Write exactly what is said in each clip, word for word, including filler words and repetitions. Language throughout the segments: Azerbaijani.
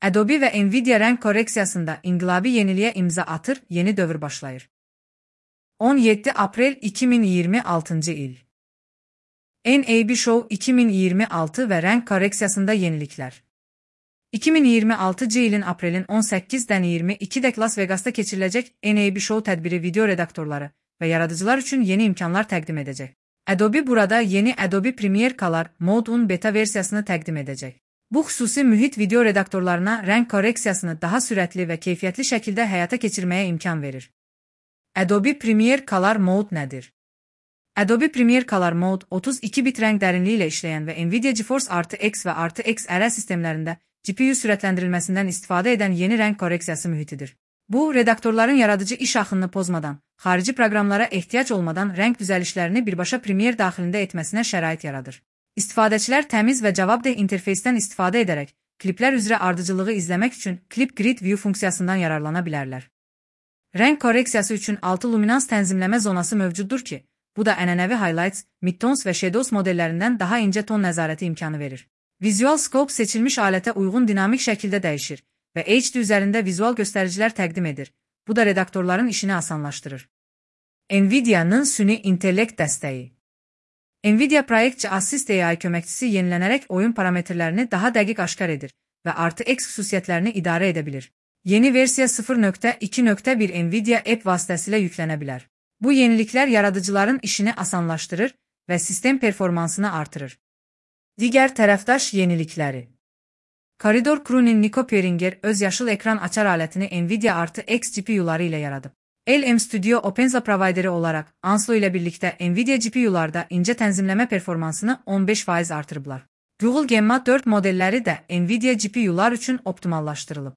Adobe ve Nvidia renk koreksiyasında inqilabi yeniliğe imza atır, yeni dövr başlayır. on yeddi aprel iki min iyirmi altıncı il. N A B Show iki min iyirmi altı ve renk koreksiyasında yenilikler. iki min iyirmi altıncı ilin aprelin on səkkizdən iyirmi ikidək Las Vegas'ta keçiriləcək N A B Show tədbiri video redaktorları ve yaradıcılar üçün yeni imkanlar təqdim edəcək. Adobe burada yeni Adobe Premiere Color Mode on beta versiyasını təqdim edəcək. Bu xüsusi mühit video redaktorlarına renk koreksiyasını daha sürətli ve keyfiyyətli şəkildə həyata keçirməyə imkan verir. Adobe Premiere Color Mode nədir? Adobe Premiere Color Mode otuz iki bit renk dərinliyi ilə işləyən və Nvidia GeForce R T X və R T X R L sistemlərində G P U sürətləndirilməsindən istifadə edən yeni renk koreksiyası mühitidir. Bu, redaktorların yaradıcı iş axınını pozmadan, xarici proqramlara ehtiyac olmadan renk düzəlişlərini birbaşa Premiere daxilində etməsinə şərait yaradır. İstifadəçilər təmiz və cavabdeh interfeysdən istifadə edərək, kliplər üzrə ardıcılığı izləmək üçün Clip Grid View funksiyasından yararlana bilərlər. Renk koreksiyası üçün altı luminans tənzimləmə zonası mövcuddur ki, bu da ənənəvi highlights, midtones və shadows modellərindən daha incə ton nəzarəti imkanı verir. Visual Scope seçilmiş alətə uyğun dinamik şəkildə dəyişir və H D üzərində vizual göstəricilər təqdim edir. Bu da redaktorların işini asanlaşdırır. Nvidia'nın süni intellekt dəstəyi. Nvidia Proyectçi Assist A I köməkçisi yenilənərək oyun parametrlərini daha dəqiq aşkar edir və R T X xüsusiyyətlərini idarə edə bilir. Yeni versiya sıfır nöqtə iki nöqtə bir Nvidia App vasitəsilə yüklənə bilər. Bu yeniliklər yaradıcıların işini asanlaşdırır və sistem performansını artırır. Digər tərəfdaş yenilikləri. Corridor Crew'nin Nico Peringer öz yaşıl ekran açar alətini Nvidia R T X G P U'ları ilə yaradıb. L M Studio OpenSA provideri olaraq Anslo ilə birlikdə Nvidia G P U'larda incə tənzimləmə performansını on beş faiz artırıblar. Google Gemma dörd modelləri də Nvidia G P U'lar üçün optimallaşdırılıb.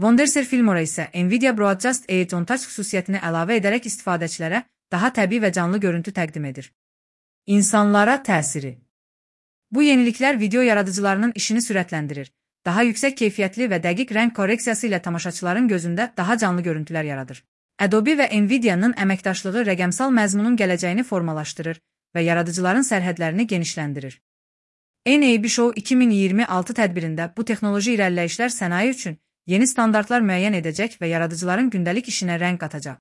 Wondershare Filmora isə Nvidia Broadcast Edge on Touch xüsusiyyətini əlavə edərək istifadəçilərə daha təbii və canlı görüntü təqdim edir. İnsanlara təsiri. Bu yeniliklər video yaradıcılarının işini sürətləndirir, daha yüksək keyfiyyətli və dəqiq renk koreksiyası ilə tamaşaçıların gözündə daha canlı görüntülər yaradır. Adobe və Nvidia'nın əməkdaşlığı rəqəmsal məzmunun gələcəyini formalaşdırır və yaradıcıların sərhədlərini genişləndirir. N A B Show iki min iyirmi altı tədbirində bu texnoloji irəliləyişlər sənaye üçün yeni standartlar müəyyən edəcək və yaradıcıların gündəlik işinə rəng qatacaq.